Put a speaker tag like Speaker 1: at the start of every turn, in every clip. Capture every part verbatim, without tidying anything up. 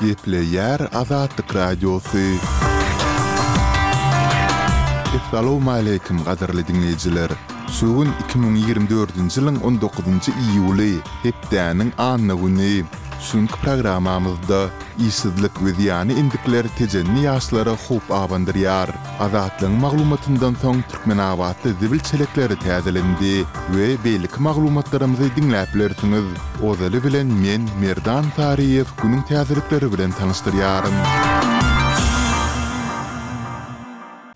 Speaker 1: Gepleýär Azatlyk Radiosy. Essalawmaleýkim gadyrly diňleýjiler! Şu gün iki müň ýigrimi dördünji ýylyň on dokuzynjy iýuly, hepdäniň anna güni. Şu günki programmamyzda işsizlik we zyýanly endikler tejenli ýaşlara howp abandyrýar. Azatlygyň maglumatyndan soň Türkmenabatda zibil çelekleri täzelendi we beýleki maglumatlarymyzy diňläp bilersiňiz. Ozaly bilen men, Merdan Saryýew günüň täzelikleri bilen tanyşdyrýaryn.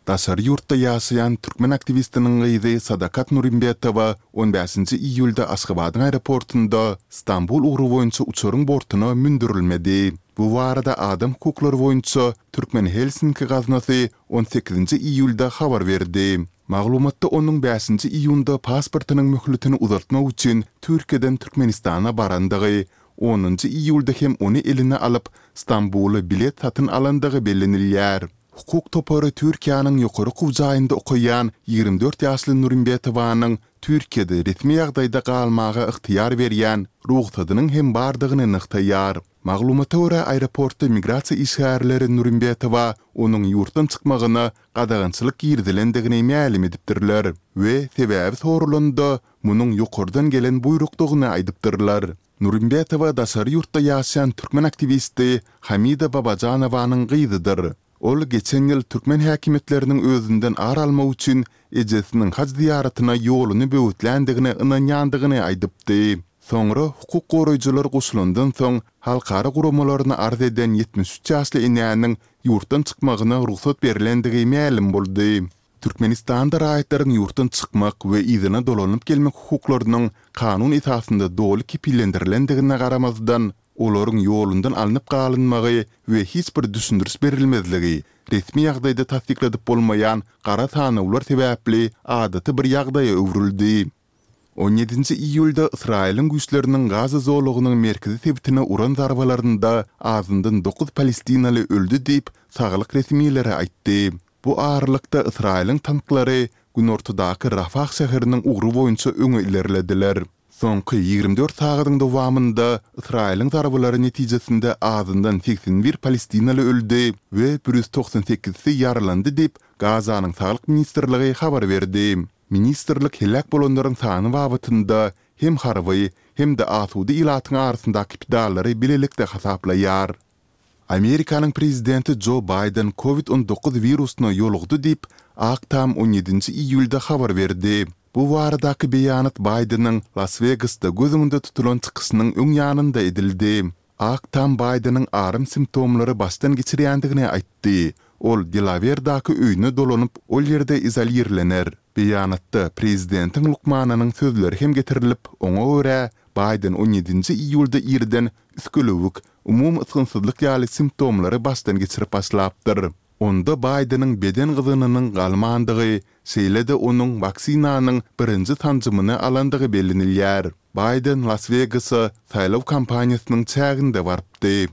Speaker 1: Daşary ýurtda ýaşaýan türkmen aktiwistiniň gyzy Sadakat Nurimbetowa on bäşinji iýulda Aşgabadyň aeroportunda Stambul ugry boýunça uçaryň bortuna mündürilmedi. Bu barada adam hukuklary boýunça Türkmen Helsinki gaznasy on sekizinji iýulda habar berdi. Maglumatda onuň bäşinji iýunda pasportynyň möhletini uzaltmak üçin Türkiýeden Türkmenistana barandygy, onunjy iýulda hem ony eline alyp, Stambula bilet satyn alandygy bellenilýär. Hukuk topary Türkiýäniň ýokary okuw jaýynda okaýan ýigrimi dört ýaşly Nurimbetowanyň Türkiýede resmi ýagdaýda galmaga ygtyýar berýän rugsadynyň hem bardygyny nygtaýar. Maglumata görä, aeroportda migrasiýa işgärleri Nurimbetowa onuň ýurtdan çykmagyna gadagançylyk girizilendigini mälim edipdirler we sebäbi soralanda, munuň ýokardan gelen buýrukdygyny aýdypdyrlar. Nurimbetowa daşary ýurtda ýaşaýan türkmen aktiwisti Hamida Babajanowanyň gyzydyr. Ol geçen ýyl türkmen häkimiýetleriniň özünden ar almak üçin ejesiniň haj zyýaratyna ýoluny böwetländigine ynanýandygyny aýdypdy. Soňra hukuk goraýjylar goşulandan soň halkara guramalaryna arz eden ýetmiş üç ýaşly enäniň ýurtdan çykmagyna rugsat berlendigi mälim boldy. Türkmenistanda raýatlaryň ýurtdan çykmak we yzyna dolanyp gelmek hukuklarynyň kanun esasynda doly kepillendirilendigine garamazdan, olaryň ýolundan alnyp galynmagy we hiç bir düşündiriş berilmezligi resmi ýagdaýda tassykladyp bolmaýan gara sanawlar sebäpli adaty bir ýagdaýa öwrüldi. On ýedinji iýulda Ysraýylyň güýçleriniň Gaza zolagynyň merkezi sebitine uran zarbalarynda azyndan dokuz palestinaly öldi diýip, saglyk resmileri aýtdy. Bu aralykda, Ysraýylyň tanklary günortadaky Rafah şäheriniň ugry boýunça öňe ilerlediler. Soňky ýigrimi dört sagadyň dowamynda Ysraýylyň zarbalary netijesinde azyndan segsen bir palestinaly öldi we bir ýüz togsan sekizisi ýaralandy diýip, Gazanyň Saglyk ministrligi habar berdi. Ministrlik heläk bolanlaryň sany babatynda hem harby, hem-de asuda ilatyň arasyndaky pidalary bilelikde hasaplaýar. Amerikanyň prezidenti Jo Baýden Covid on dokuz wirusyna ýolugdy diýip, Ak Tam on ýedinji iýulda habar berdi. Bu baradaky beýanat Baýdeniň Las-Wegasda göz öňünde tutulan çykyşynyň öň ýanynda edildi. Ak Tam Baýdeniň aram simptomlary başdan geçirýändigini aýtdy. Ol Delawerdaky öýüne dolanyp, ol ýerde izolirlener. Beýanatda prezidentiň lukmanynyň sözleri hem getirilip, oňa görä, Baýden on ýedinji iýulda irden üsgülewük, umumy ysgynsyzlyk ýaly simptomlary başdan geçirip başlapdyr. Onda Baýdeniň beden gyzgynynyň galmandygy, şeýle-de onuň waksinanyň birinji sanjymyny alandygy bellenilýär. Baýden Las-Wegasa saýlaw kampaniýasynyň çäginde barypdy.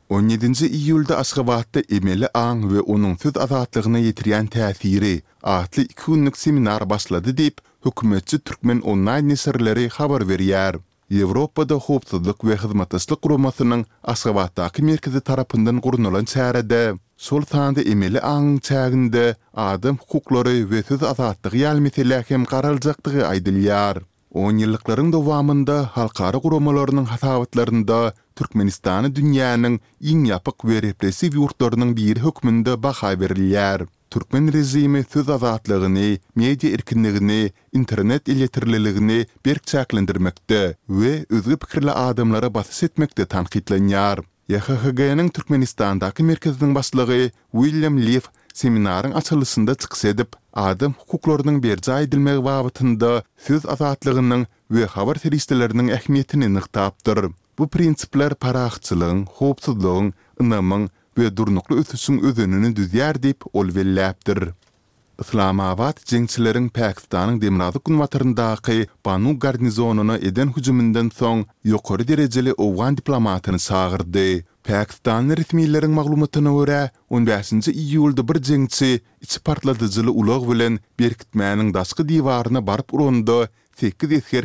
Speaker 1: On ýedinji iýulda Aşgabatda Emeli aň we onuň söz azatlygyna ýetirýän täsiri atly iki günlük seminar başlady diýip, hökümetçi Türkmen onlaýn neşirleri habar berýär. Ýewropada Howpsuzlyk we Hyzmatdaşlyk Guramasynyň Aşgabatdaky merkezi tarapyndan gurnalan çärede, şol sanda emeli aňyň çäginde adam hukuklary we söz azatlygy ýaly meselä hem garaljakdygy aýdylýar. Onýyllyklaryň dowamynda halkara guramalarynyň hasabatlarynda Türkmenistana dünýäniň iň ýapyk we repressiw ýurtlarynyň biri hökmünde baha berilýär. Türkmen režimi söz azatlygyny, media erkinligini, internet elýeterliligini berk çäklendirmekde we özge pikirli adamlara basyş etmekde tankytlanýar. YHHG-niň Türkmenistandaky merkeziniň başlygy William Lif seminaryň açylyşynda çykyş edip, adam hukuklarynyň berjaý edilmegi babatynda söz azatlygynyň we habar serişdeleriniň ähmiýetini nygtapdyr. Bu prinsipler parahatçylygyň, howpsuzlygyň, ynamyň we durnukly ösüşiň özenini düzýär diýip, ol belläpdir. Yslamabat jeňçileriň Pakistanyň demirgazyk-günbataryndaky Banu garnizonyna eden hüjüminden soň ýokary derejeli owgan diplomatyny çagyrdy. Pakistanly resmileriň maglumatyna görä, on bäşinji iýulda bir jeňçi içi partladyjyly ulag bilen berkitmäniň daşky diwaryna baryp uranda sekiz esger